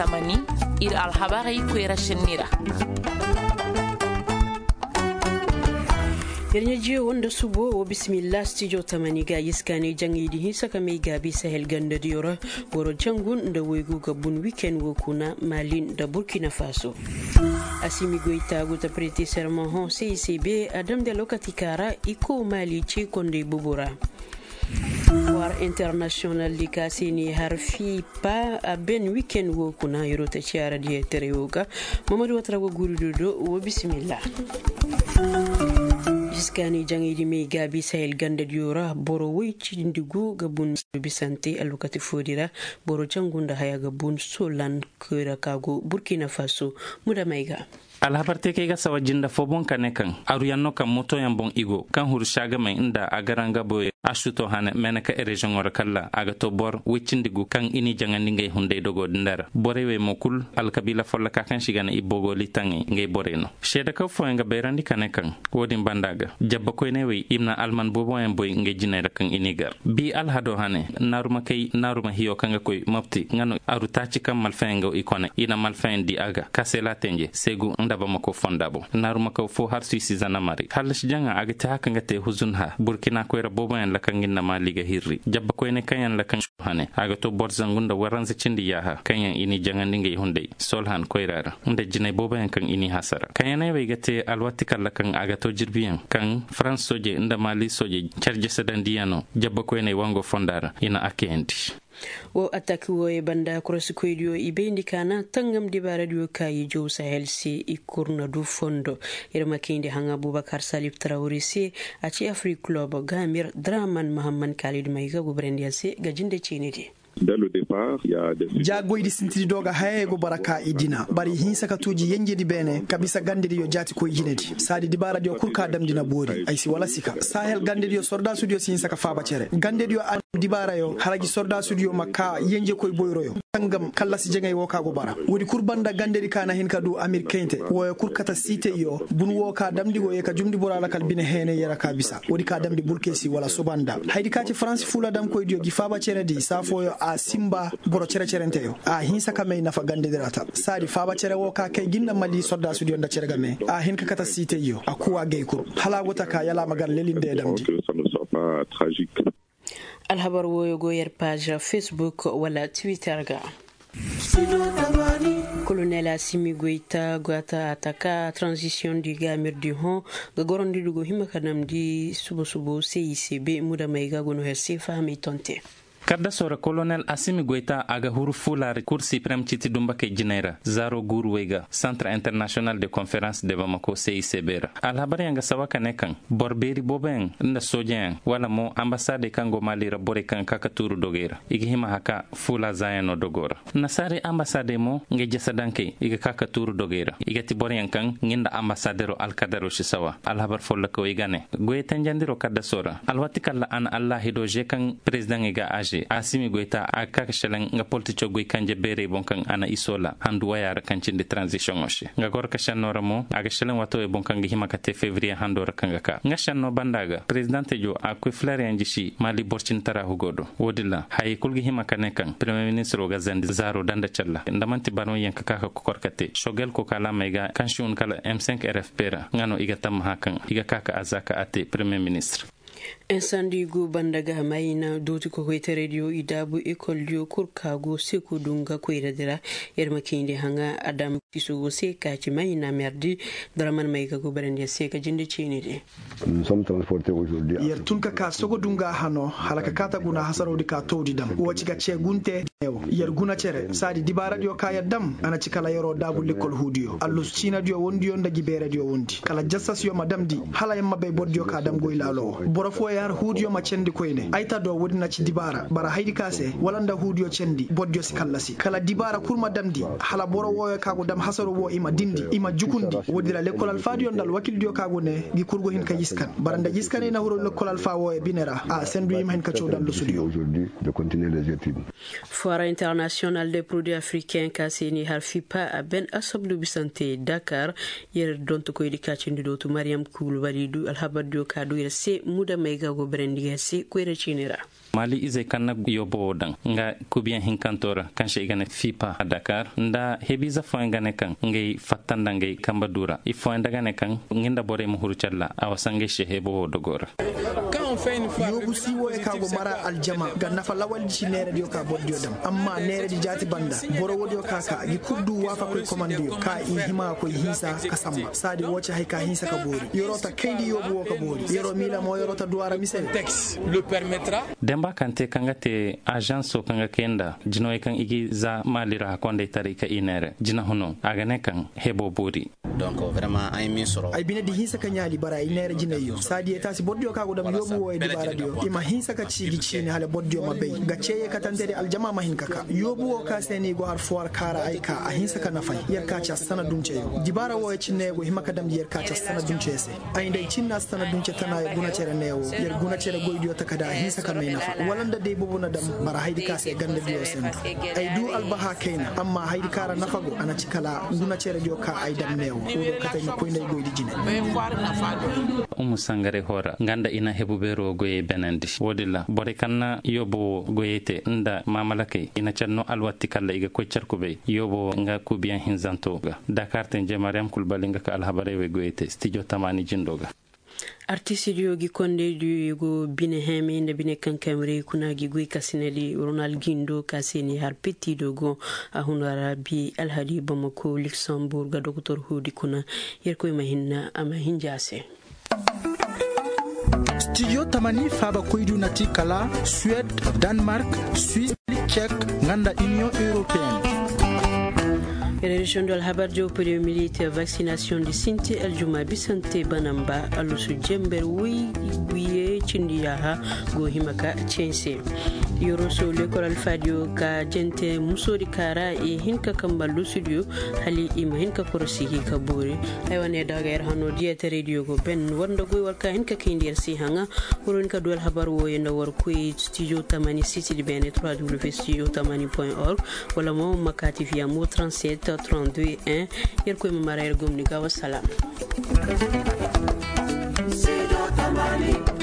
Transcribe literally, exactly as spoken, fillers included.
Tamani, ir alhabarey koyra sinni ra. Yer ɲajiyo woo nda subo woo bisimilla stijo tamani ga iskaanay jaŋaydi hinsa ka may gaabi sahel gandadiyo ra. Boro jangu nda waygu ga bun wiken woo kuna mali nda burkina faso. Asimi goyta go ta prete sermon hõ se i se be a damndi alwakati ka ra i koo mali cee konday bobo ra. War internasiyonal di ka se ni har fiipa a ben wiken woo kuna yeroo ta ciyaaradiyo taray woo ga. Mamadu watara go guuri dodo woo bisimilla. Iskaani jaŋaydi may gaabi sahel gandadiyo ra boro woy cindi gu ga bun bisante alwakati foodi ra. Boro jangu nda haya ga bun solan koyra ka go burkina faso. Muda may ga. Alhabar te kay ga sawa jinda foo boŋ ka ne kaŋ aruyaŋ no kaŋ motoyaŋ boŋ i go kaŋ huru saagamey nda a garanga boyey a suto hane meeneka reziyoŋo ra kalla a ga to bor woy cindi gu kaŋ i n'i jaŋandi ngey hunday dogo din da ra borey wey mo kul alkabiila folloka kaŋ se i ga ne i bogoli taŋey ngey borey no seedekaw fooyaŋ ga bayrandi ka ne kaŋ woo din banda ga jabba koyney wey i ma na alman booboyaŋ boy ngey jiney ra kaŋ i n'i gar bi alhado hane naaruma kay naaruma hiyo kaŋ ga koy mopti nga no aru taaci kaŋ malfayaŋ go i kone i na malfayaŋ di a ga kaseela tenje seegu nda bamako fonda boŋ naaruma kaw foo har suisi zanamari hallasi jaŋa a ga te haka nga te huzun ha burkina koyra booboyaŋ lakan nga nda maali ga hirri jabba koyne kaŋ yaŋ lakan hane a ga to boro zangu nda waranza cindi yaaha kaŋ yaŋ i n'i jaŋandi ngey hunday solhan koyra ra nda jinay booboyaŋ kaŋ i n'i hasara kaŋ yaŋ ay wey ga te alwati kalla kaŋ a ga to jirbiyaŋ kaŋ farans soojey nda maali soojey care jasadandiyano jabba koyney wango fonda ra i na a kayandi. Woo atak wooyey banda korosikoydiyo i bayndi ka na tangam dibaaradiyo ka i jaw sahel se i kurnadu fondo. Ir ma kayndi haŋa bubakar salif tarawri se a ci afrik kulob gamir draman mahamman kaalidi may ga gubarandiyaŋ se ga jinde ciinidi. Jaagoydi sintidi do ga hayey go bara ka i dina bari hinsa ka tuuji yenjedi beene ka bisa gandediyo jaatikoy jinedi saadi dibaaradiyo kul ka damndi na boori ay si wala sika sahel gandediyo sordaasudiyo si hinsa ka faaba cere gandediyo a dibaarayo hala gi sordaasudiyo ma ka yenjekoy boyroyo tangam kallasi jaŋay woo ka go bara woodi kul banda gandedi ka na hin ka du amir kayntey wooyo kul kata siiteyyo bun woo ka damndi go ye ka jumndi boro alakal bine heeney yara ka bisa woodi ka damndi burkesi wala soba nda hayadi ka ci faransi fuula damkoydiyo gi faaba ceredi saa fooyo a sinba boro cere-cerenteyo a hinsa ka may nafa gandedi ra ta saadi faaba cere woo ka kay gi nda mali sordaasudiyo nda cere game a hin ka kata siiteyyo a kuwa gay kul hala a go ta ka yala a ma gar lelinde damndi. Alhabar wooyo go yer paaz ra facebook wala twitter ga. Kolonel asimi goyta go a ta ataka transisiyoŋ di gaamir di hõ ga gorandi dugu hima ka damndi subo subo se i se be muda may ga go no her se fahamay tonte. Kaddasoo ra kolonel asimi goyta a ga huru fuulaari kur siprem citi dumbakey jinay ra zaaro guuru wey ga santre internasiyonal de konferans de bamako se i se be ra alhabaryaŋ ga sawa ka ne kaŋ boro beeri booboyaŋ nda soojeyaŋ wala mo ambasaadey kaŋ go maali ra borey kaŋ ga ka ka tuuru dogey ra i ga hima haka fuula zaayano dogo ra. Nasaarey ambasaadey mo ngey jasadankey i ga ka ka tuuru dogey ra i ga ti boroyaŋ kaŋ nga nda ambasaadero alkadaro si sawa alhabar follokawey ga ne goyey tanjandiro kaddasoo ra alwati kalla a na allaahido ze kaŋ perezidaŋey ga a ze asimi goyta a ga ka ka selaŋ nga politicoo goy kanje beerey boŋ kaŋ a na isoo la handu wayaa ra kaŋ cindi taranzisiyoŋo se nga goro ka šennoo ra mo a ga selaŋ waatawey boŋ kaŋ ga hima ka te febriye handoo ra kaŋ ga ka nga šennoo banda ga perezidante jo a ga koy fileryaŋ jisi maali borcintara hugoo do woodin ra hayey kul ga hima ka ne kaŋ peremiyer ministiroo ga zandi zaaroo danda calla nda man'ti barmayyaŋ ka ka ka kokor ka te sogel kokaalaamey ga kaŋ si hun kala m cinq rfp ra nga no i ga tammaha kaŋ i ga ka ka a za ka a te peremiyer ministir. Insandi go banda ga mayna dooti kokoytaraydiyo i daabu ekoldiyo kul ka go seku dunga koyradi ra. Yer ma kayndi haŋa adam kiso go se ka ci mayna merdi daraman may ga go barandiya se ga jinde ceenidi. Yer tun ka ka sogo dunga hano hala ka kaata guna hasarodi ka towdi dam wo ci ga ce gunte. Yer guna cere saadi dibaaradiyo ka yer dam a na ci kala yeroo daabu lekkol huudiyo allusu ciinadiyo wondiyo nda jibeeradiyo wondi kala jassasiyo ma damndi hala yer ma bay bordiyo ka dam goy laalo wo boro fooyo har huudiyo ma cendi koyne ay ta do woodi na ci dibaara bara haydi ka se wala nda huudiyo cendi bordiyo si kallasi kala dibaara kul ma damndi hala boro wooyo ka go dam. Hasaro wo i ma dindi, i ma jukundi. Woodi ra lekkol alfaadiyo nda alwakildiyo ka go ne gi kurgo hin ka yiskan bara nda yiskaney na huru lekkol alfa wooyo bine ra a sendu i ma hin ka caw nda allusudiyo. Foire international de produit africain ka se ni har fipa a ben asabdu bisante dakar. Yer dontokoydi ka cindi dootu mariyam kulbali du alhabardiyo ka du yer se muda may ga go berendi yer se koyra ciini ra. Mali izey kaŋ na yoobo wo daŋ nga kubiyaŋ hinkanto ra kaŋ se i ga ne fipa dakar nda hebiize fooyaŋ ga ne kaŋ ngey fatta nda ngey kambe du ra ifooyaŋ nda ga ne kaŋ nga nda borey ma huru calla a wasa ngey se hebo wo dogo ra. Yoobu si wooyo ka go mara aljama ga nafa lawaldi ci neeradiyo ka bordiyo daŋ amma neeradi jaati banda boro woodiyo ka ka gi kul du waafakoy komandiyo ka i hima ga koy hinsa ka samba saadi woo ci hay ka hinsa ka boori yeroo ta kayndi yoobu woo ka boori yeroo miila mo yeroo ta duwaa ra mise. Demba kaŋ te kaŋ ga te ažanso kaŋ ga kay nda jinawey kaŋ i ga za maali ra kondaytaray ka i neere jinahuno a ga ne kaŋ hebo boori. Ay bine di hinsa ka ɲaali bara i neere jinayyo saadiyey taasi bordiyo kaŋ a go dam yoobu wooyo dibaaradiyo i ma hinsa ka ciiji ciini hala bordiyo ma bay ga ceeyey katantedi aljama ma hin ka ka yoobu woo ka se no i go har fuwar kaara ay ka a hinsa ka nafay yer ka ci a sana dunceyo dibaara wooyo cinne go hima ka damndi yer ka ci a sana dunceyo se. Ay nda ay cinna a sana dunce tana ya guna cere neewo yer guna cere goydiyo taka da a hinsa ka may nafa wala nda day boobo na dam bara haydi ka se ganda diyo sendu. Ay du albaha kayna amma haydi ka ra nafa go a na ci kala guna cere diyo ka ay dam neewo wo do kate ay ma koy nda ay goydi jine. Umu sangare hora nga nda i na hebu beero goyey benandi woodin ra borey kaŋ na yoobo wo goyey te nda maamalakey i na care no alwatti kalla i ga koy care kubay yoobo wo nga kuubiyaŋ hinzanto ga dakar tenje mariyam kulbali nga ka alhabarey wey goyey te stijo tamaani jindo ga. Artistidiyo gi kondeydiyo i go bine heme nda bine kankamrey kuna gi goy kasinadi ronald gindo ka se ni har pettido go a huna ra bi alhadi bamako luxembourg ga doktor hudi kuna yerkoy ma hinna a ma hinja se. Studio tamani faaba koydu na ti kala suwed, danemark, suisse, cek, nga nda union européenne. Région do alhabar jo premier militaire vaccination di sinti aljuma bisante banamba alusu jember woy, buye cindi yaha go hima ka cense. Yoroso lekol alfadiyo ka jente musodi kara e hinka kamba lusudiyo hali i ma hinka korosi hi ka bori. Ay wane daga yar hano diya ta radio go ben wanda goy warka hinka kindi yar si hanga. Wurin ka duwal habar woye nda war koy studio tamani siti di bene trois w studio tamani point org. Wala mo makati via mo trente-sept trente-deux un. Yar koy ma mara yar gomni ga wassalam. Studio tamani.